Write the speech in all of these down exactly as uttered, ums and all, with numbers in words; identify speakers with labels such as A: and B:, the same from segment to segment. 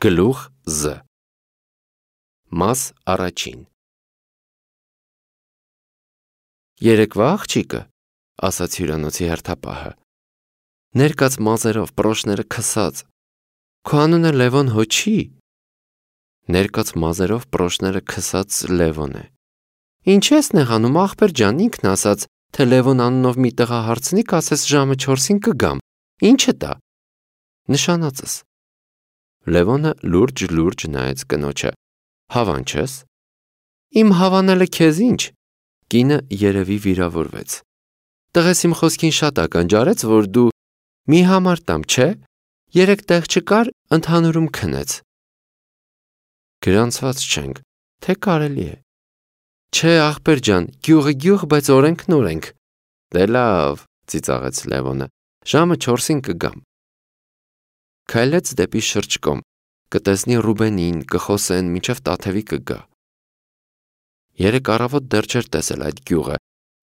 A: Գլուխ Զ Մաս առաջին Երեկվա աղջիկը, ասաց հյուրանոցի հերթապահը, ներկած մազերով, պրոշները քսած, քո անունը Լևոն հո չի։ Ներկած մազերով, պրոշները քսած Լևոն է։ Ինչ ես նեղանում, ախպեր ջան, ինքն ասաց, թե Լևոն անունով մի տղա հարցնի, կասես ժամը չորսին կգամ, ինչը տա։ Նշանածս։ Լևոնը լուրջ-լուրջ նայեց կնոջը, հավանչես։ Իմ հավանելը քեզ ինչ։ Կինը երևի վիրավորվեց։ Տղես իմ խոսքին շատ ականջարեց, որ դու մի համար տամ, չէ, երեք տեղ չկար, ընդհանուրում քնեց։ Գրանցված չենք, թե կարելի է։ Չէ, ախպեր ջան, գյուղը գյուղ, բայց օրենքն օրենք։ Դե լավ, ծիծաղեց Լևոնը, ժամը չորսին կգամ։ Քայլեց դեպի շրջկոմ, կտեսնի Ռուբենին, կխոսեն, մինչև Տաթևի կգա։ Երեք առավոտ դեռ չէր տեսել այդ գյուղը,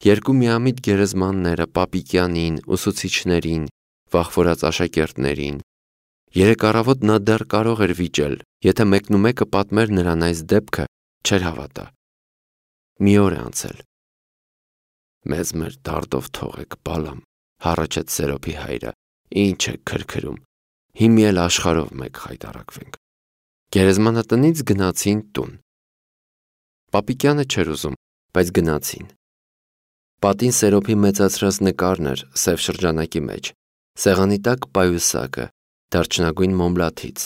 A: երկու միամիտ գերեզմանները, Պապիկյանին, ուսուցիչներին, վախվորած աշակերտներին։ Երեք առավոտ նա դեռ կարող էր վիճել, եթե մեկնումեկը պատմեր նրան այս դեպքը, չէր հավատա։ Մի օր է անցել։ Մեզ մեր դարդով թողեք, բալամ, հառաչեց Սերոփի հայրը, ինչ է քրքրում, հիմի էլ աշխարհով մեկ խայտարակվենք։ Գերեզմանատնից գնացին տուն։ Պապիկյանը չէր ուզում, բայց գնացին։ Պատին Սերոփի մեծացրած նկարն էր սև շրջանակի մեջ, սեղանի տակ պայուսակը, դարչնագույն մոմլաթից։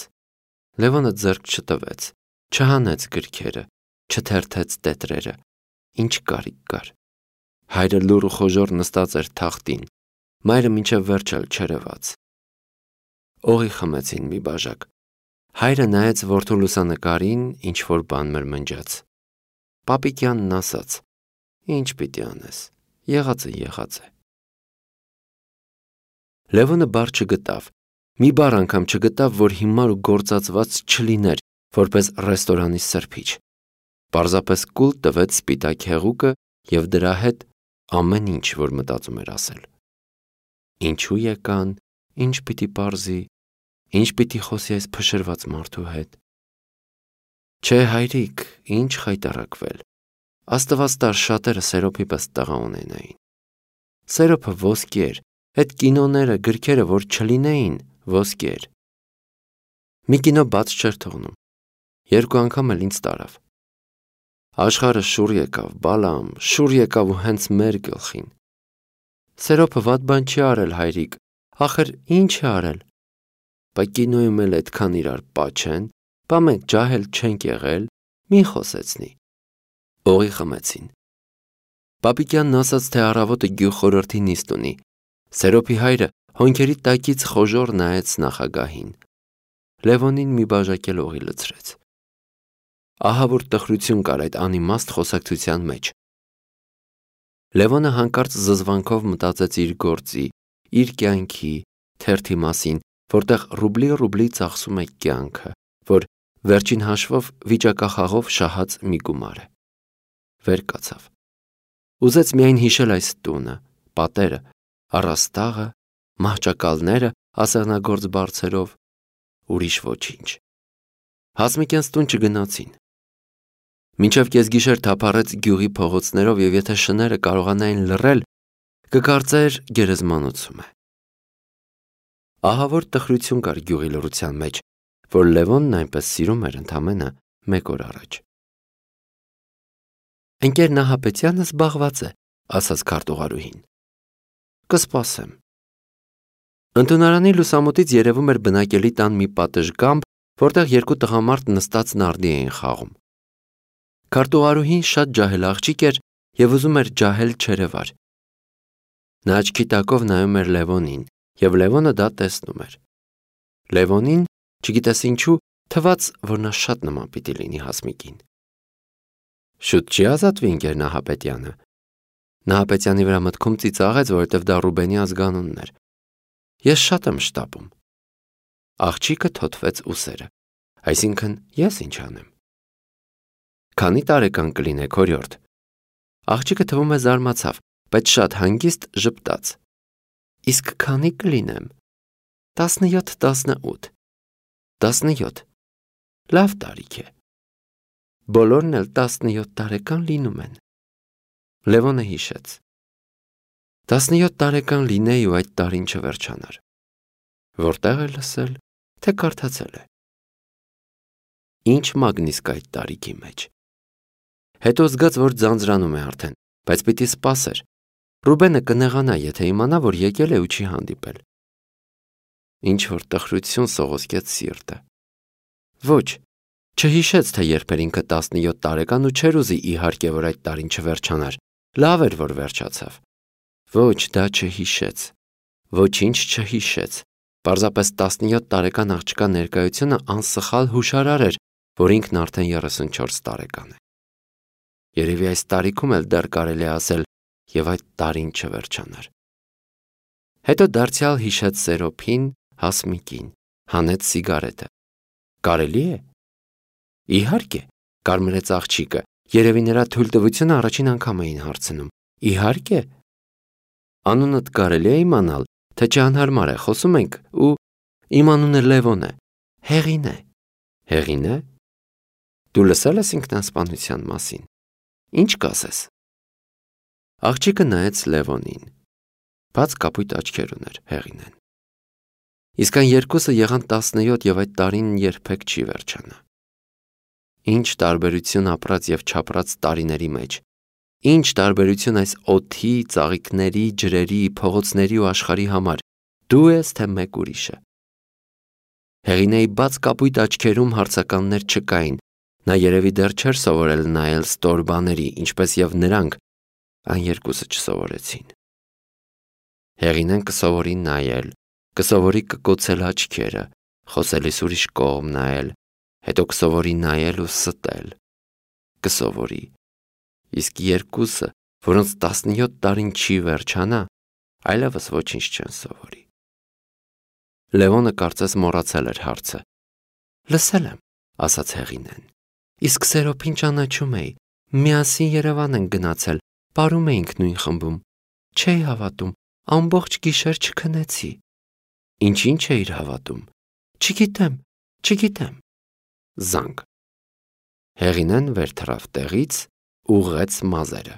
A: Լևոնը ձեռք չտվեց, չհանեց գրքերը, չթերթեց տետրերը, ինչ կարիք կար։ Հայրը լուռ ու խոժոռ նստած էր թախտին, մայրը մինչև վերջ էլ չերևաց։ Օղի խմեցին մի բաժակ։ Հայրը նայեց որդու լուսանկարին, ինչ որ բան մրմնջաց։ Պապիկյանն ասաց. Ինչ պիտի անես, եղածը եղած է։ Լևոնը բառ չգտավ, մի բառ անգամ չգտավ, որ հիմար ու գործածված չլիներ, որպես ռեստորանի սրբիչ։ Պարզապես կուլ տվեց սպիտակ հեղուկը և դրա հետ ամեն ինչ, որ մտածում էր ասել։ Ինչու եկան, ինչ պիտի պարզի, ինչ պիտի խոսի այս փշրված մարդու հետ։ Չէ, հայրիկ, ինչ խայտարակվել։ Աստված տար շատերը Սերոփի պես տղա ունենային։ Սերոփը ոսկի էր, այդ կինոները, գրքերը, որ չլինեին, ոսկի էր։ Մի կինո բաց չէր թողնում։ Երկու անգամ էլ ինձ տարավ։ Աշխարհը շուռ եկավ, բալամ, շուռ եկավ ու հենց մեր գլխին։ Սերոփը վատ բան չի արել, հայրիկ, ախր ինչ է արել։ Բա կինոյում էլ այդքան իրար պաչեն, բա մենք ջահել չենք եղել, մի խոսեցնի։ Օղի խմեցին։ Պապիկյանն ասաց, թե առավոտը գյուղ խորհրդի նիստ ունի։ Սերոփի հայրը հոնքերի տակից խոժոռ նայեց նախագահին։ Լևոնին մի բաժակ էլ օղի լցրեց։ Ահա որ տխրություն կար այդ անիմաստ խոսակցության մեջ։ Լևոնը հանկարծ զզվանքով մտածեց իր գործի, իր կյանքի, թերթի մասին, որտեղ ռուբլի-ռուբլի ծախսում է կյանքը, որ վերջին հաշվով վիճակախաղով շահած մի գումար է։ Վեր կացավ։ Ուզեց միայն հիշել այս տունը, պատերը, առաստաղը, մահճակալները ասեղնագործ բարձերով, ուրիշ ոչինչ։ Հասմիկյանց տուն չգնացին։ Մինչև կեսգիշեր թափառեց գյուղի փողոցներով և եթե շները կարողանային լռել, կկարծեր գերեզմանոցում է։ Ահա որ տխրություն կար գյուղի լռության մեջ, որ Լևոնն այնպես սիրում էր ընդամենը մեկ օր առաջ։ Ընկեր Նահապետյանը զբաղված է, ասաց քարտուղարուհին։ Կսպասեմ։ Ընդունարանի լուսամուտից երևում էր բնակելի տան մի պատշգամբ, որտեղ երկու տղամարդ նստած նարդի էին խաղում։ Քարտուղարուհին շատ ջահել աղջիկ էր և ուզում էր ջահել չերևար։ Նա աչքի տակով նայում էր Լևոնին, և Լևոնը դա տեսնում էր։ Լևոնին, չգիտես ինչու, թվաց, որ նա շատ նման պիտի լինի Հասմիկին։ Շուտ չի ազատվի ընկեր Նահապետյանը։ Նահապետյանի վրա մտքում ծիծաղեց, որովհետև դա Ռուբենի ազգանունն էր։ Ես շատ եմ շտապում։ Աղջիկը թոթվեց ուսերը, այսինքն ես ինչ անեմ։ Քանի տարեկան կլինեք, օրիորդ։ Աղջիկը թվում է զարմացավ, բայց շատ հանգիստ ժպտաց։ Իսկ քանի կլինեմ։ Տասնյոթ, տասնութ։ Տասնյոթ։ Լավ տարիք է։ Բոլորն էլ տասնյոթ տարեկան լինում են։ Լևոնը հիշեց։ Տասնյոթ տարեկան լինեի ու այդ տարին չվերջանար։ Որտեղ է լսել, թե կարդացել է։ Ինչ մագնիսկ այդ տարիքի մեջ։ Հետո զգաց, որ ձանձրանում է արդեն, բայց պիտի սպասեր։ Ռուբենը կնեղանա, եթե իմանա, որ եկել է ու չի հանդիպել։ Ինչ որ տխրություն սողոսկեց սիրտը։ Ոչ, չհիշեց, թե երբ էր ինքը տասնյոթ տարեկան ու չէր ուզի իհարկե, որ այդ տարին չվերջանար։ Լավ էր, որ վերջացավ։ Ոչ, դա չհիշեց։ Ոչինչ չհիշեց։ Պարզապես տասնյոթ տարեկան աղջկա ներկայությունը անսխալ հուշարար էր, որ ինքն արդեն երեսունչորս տարեկան է։ Երևի այս տարիքում էլ դեռ կարելի է ասել, եւ այդ տարին չվերջանար։ Հետո դարձյալ հիշեց Սերոփին, Հասմիկին, հանեց սիգարետը։ Կարելի է։ Իհարկե, կարմրեց աղջիկը, երևի նրա թույլտվությունը առաջին անգամ էին հարցնում։ Իհարկե։ Անունդ կարելի է իմանալ, թե չանհարմար է, խոսում ենք ու իմ անունը Լևոն է։ Հեղին է։ Հեղին է։ Դու լսել ես ինքնասպանության մասին։ Ինչ կասես։ Աղջիկը նայեց Լևոնին։ Բաց կապույտ աչքեր ուներ Հեղինեն։ Իսկ այն երկուսը եղան տասնյոթ եւ այդ տարին երբեք չի վերջանա։ Ինչ տարբերություն ապրած եւ չապրած տարիների մեջ։ Ինչ տարբերություն այս օդի, ծաղիկների, ջրերի, փողոցների ու աշխարհի համար։ Դու ես թե մեկ ուրիշը։ Հեղինեի բաց կապույտ աչքերում հարցականներ չկային։ Նա երևի դեռ չէր սովորել նայել ստոր բաների, ինչպես եւ նրանք այն երկուսը չսովորեցին։ Հեղինեն կսովորի նայել, կսովորի կկոցել աչքերը, խոսելիս ուրիշ կողմ նայել, հետո կսովորի նայել ու ստել։ Կսովորի։ Իսկ երկուսը, որոնց տասնյոթ տարին չի վերջանա, այլևս ոչինչ չեն սովորի։ Լևոնը կարծես մոռացել էր հարցը։ Լսել եմ, ասաց Հեղինեն։ Իսկ Սերոփին ճանաչում էի, միասին Երևան են գնացել, պարում էինք նույն խմբում։ Չէի հավատում, ամբողջ գիշեր չքնեցի։ Ինչին չէիր հավատում։ Չգիտեմ, չգիտեմ։ Զանգ։ Հեղինեն վեր թռավ տեղից, ուղղեց մազերը։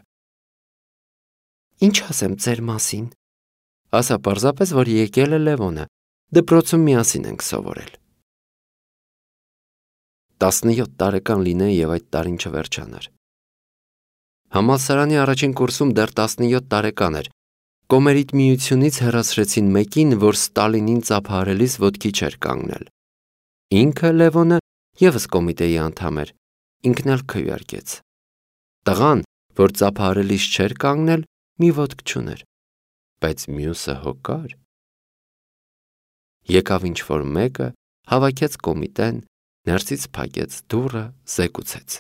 A: Ինչ ասեմ ձեր մասին։ Ասա պարզապես, որ եկել է Լևոնը, դպրոցում միասին ենք սովորել։ Տասնյոթ տարեկան լինեի եւ այդ տարին չվերջանար։ Համալսարանի առաջին կուրսում դեռ տասնյոթ տարեկան էր։ Կոմերիտ միությունից հեռացրեցին մեկին, որ Ստալինին ծափահարելիս ոտքի չէր կանգնել։ Ինքը Լևոնը եւս կոմիտեի անդամ էր, ինքն էլ քվեարկեց։ Տղան, որ ծափահարելիս չէր կանգնել, մի ոտք չուներ, բայց մյուսը հոգար։ Եկավ ինչ-որ մեկը, հավաքեց կոմիտեն, ներսից փակեց դուռը, զեկուցեց։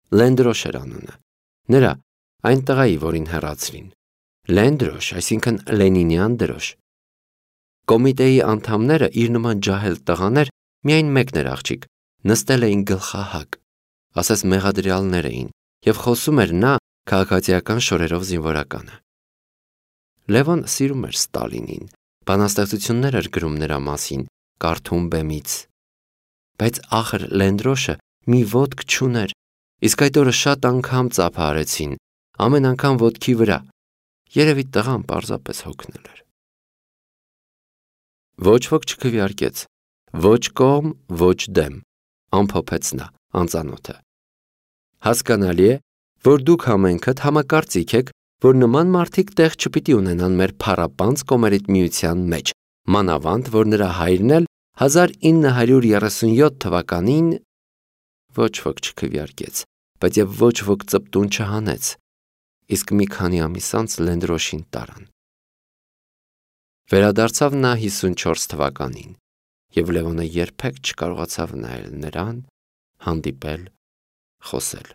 A: Լենդրոշ էր անունը։ Նրա, այն տղայի, որին հեռացրին։ Լենդրոշ, այսինքն Լենինյան դրոշ։ Կոմիտեի անդամները իր նման ջահել տղաներ, միայն մեկն էր աղջիկ, նստել էին գլխահակ, ասես մեղադրյալներ էին, եւ խոսում էր նա քաղաքացիական շորերով զինվորականը։ Լևոն սիրում էր Ստալինին, բանաստեղծություններ էր գրում նրա մասին, կարդում բեմից։ Բայց ախր Լենդրոշը մի ոտք չուներ, իսկ այդ օրը շատ անգամ ծափահարեցին, ամեն անգամ ոտքի վրա։ Երևի տղան պարզապես հոգնել էր։ Ոչ ոք չքվեարկեց, ոչ կողմ, ոչ դեմ, ամփոփեց նա, անծանոթը։ Հասկանալի է, որ դուք համենքդ համակարծիք եք, որ նման մարդիկ տեղ չպիտի ունենան մեր փառապանծ կոմերիտ միության մեջ, մանավանդ, որ նրա հայրն էլ հազար ինը հարյուր երեսունյոթ թվականին ոչ ոք չքվեարկեց, բայց եւ ոչ ոք ծպտուն չհանեց, իսկ մի քանի ամիս անց Լենդրոշին տարան։ Վերադարձավ նա հիսունչորս թվականին, եւ Լևոնը երբեք չկարողացավ նայել նրան, հանդիպել, խոսել։